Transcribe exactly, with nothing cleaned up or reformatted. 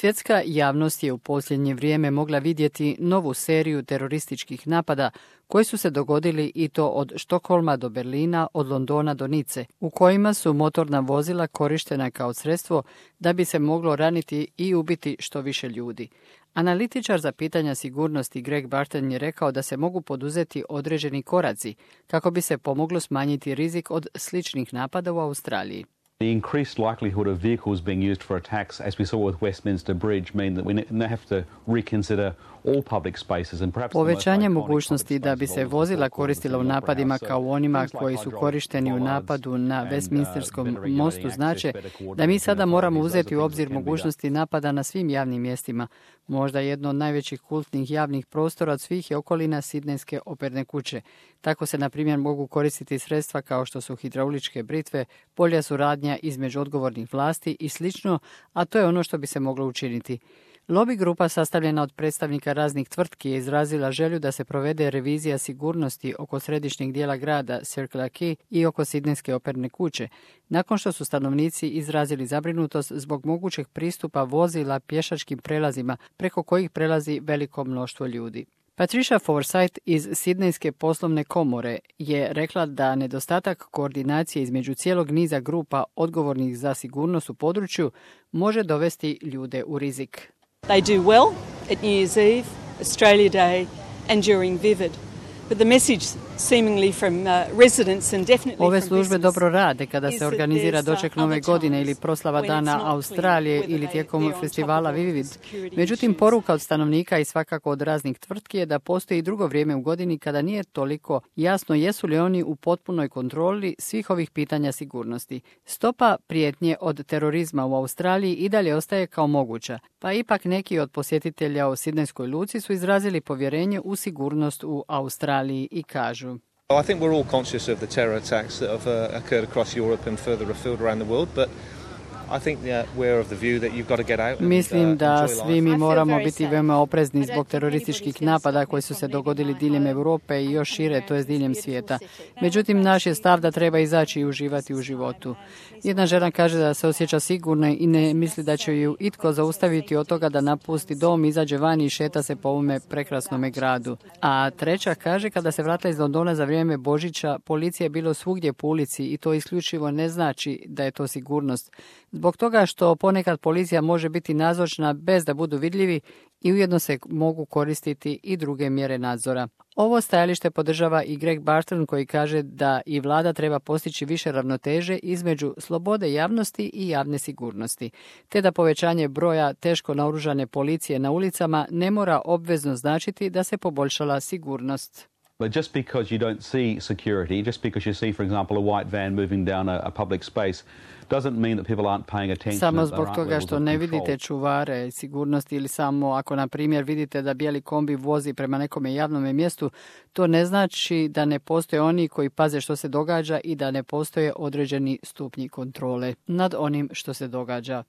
Svjetska javnost je u posljednje vrijeme mogla vidjeti novu seriju terorističkih napada koji su se dogodili i to od Štokholma do Berlina, od Londona do Nice, u kojima su motorna vozila korištena kao sredstvo da bi se moglo raniti i ubiti što više ljudi. Analitičar za pitanja sigurnosti Greg Barton je rekao da se mogu poduzeti određeni koraci kako bi se pomoglo smanjiti rizik od sličnih napada u Australiji. The increased likelihood of vehicles being used for attacks, as we saw with Westminster Bridge, mean that we now have to reconsider all public spaces and perhaps Povećanje mogućnosti da bi se vozila koristila u napadima kao onima koji su korišteni u napadu na Westminsterskom mostu znače da mi sada moramo uzeti u obzir mogućnosti napada na svim javnim mjestima. Možda jedno od najvećih kultnih javnih prostora od svih je okolina Sidnejske operne kuće. Tako se, na primjer, mogu koristiti sredstva kao što su hidrauličke britve, bolja suradnja između odgovornih vlasti i slično, a to je ono što bi se moglo učiniti. Lobby grupa sastavljena od predstavnika raznih tvrtki je izrazila želju da se provede revizija sigurnosti oko središnjeg dijela grada Circular Quay i oko Sidnejske operne kuće, nakon što su stanovnici izrazili zabrinutost zbog mogućeg pristupa vozila pješačkim prelazima preko kojih prelazi veliko mnoštvo ljudi. Patricia Forsyth iz Sidnejske poslovne komore je rekla da nedostatak koordinacije između cijelog niza grupa odgovornih za sigurnost u području može dovesti ljude u rizik. They do well at New Year's Eve, Australia Day and during Vivid. But the message seemingly from uh, residents and definitely from Ove službe business dobro rade kada se organizira doček Nove godine ili proslava Dana Australije ili tijekom festivala Vivid. Međutim, poruka od stanovnika i svakako od raznih tvrtki je da postoji drugo vrijeme u godini kada nije toliko jasno jesu li oni u potpunoj kontroli svih ovih pitanja sigurnosti. Stopa prijetnje od terorizma u Australiji i dalje ostaje kao moguća, pa ipak neki od posjetitelja u Sidnejskoj luci su izrazili povjerenje u sigurnost u Australiji i kažu: I think we're all conscious of the terror attacks that have uh, occurred across Europe and further afield around the world, but I think that we're of the view that you've got to get out and, Mislim uh, da enjoy svi life. mi moramo biti veoma oprezni zbog terorističkih napada koji su se dogodili diljem Europe i još šire, to je diljem svijeta. Međutim, naš je stav da treba izaći i uživati u životu. Jedna žena kaže da se osjeća sigurno i ne misli da će ju itko zaustaviti od toga da napusti dom, izađe van i šeta se po ovome prekrasnome gradu. A treća kaže kada se vratila iz Londona za vrijeme Božića, policija je bilo svugdje po ulici i to isključivo ne znači da je to sigurnost. Zbog toga što ponekad policija može biti nazočna bez da budu vidljivi i ujedno se mogu koristiti i druge mjere nadzora. Ovo stajalište podržava i Greg Barton koji kaže da i vlada treba postići više ravnoteže između slobode javnosti i javne sigurnosti, te da povećanje broja teško naoružane policije na ulicama ne mora obvezno značiti da se poboljšala sigurnost. But just because you don't see security, just because you see, for example, a white van moving down a, a public space, doesn't mean that people aren't paying attention. Samo zbog toga što ne vidite čuvare sigurnosti ili samo ako, na primjer, vidite da bijeli kombi vozi prema nekome javnom mjestu, to ne znači da ne postoje oni koji paze što se događa i da ne postoje određeni stupnji kontrole nad onim što se događa.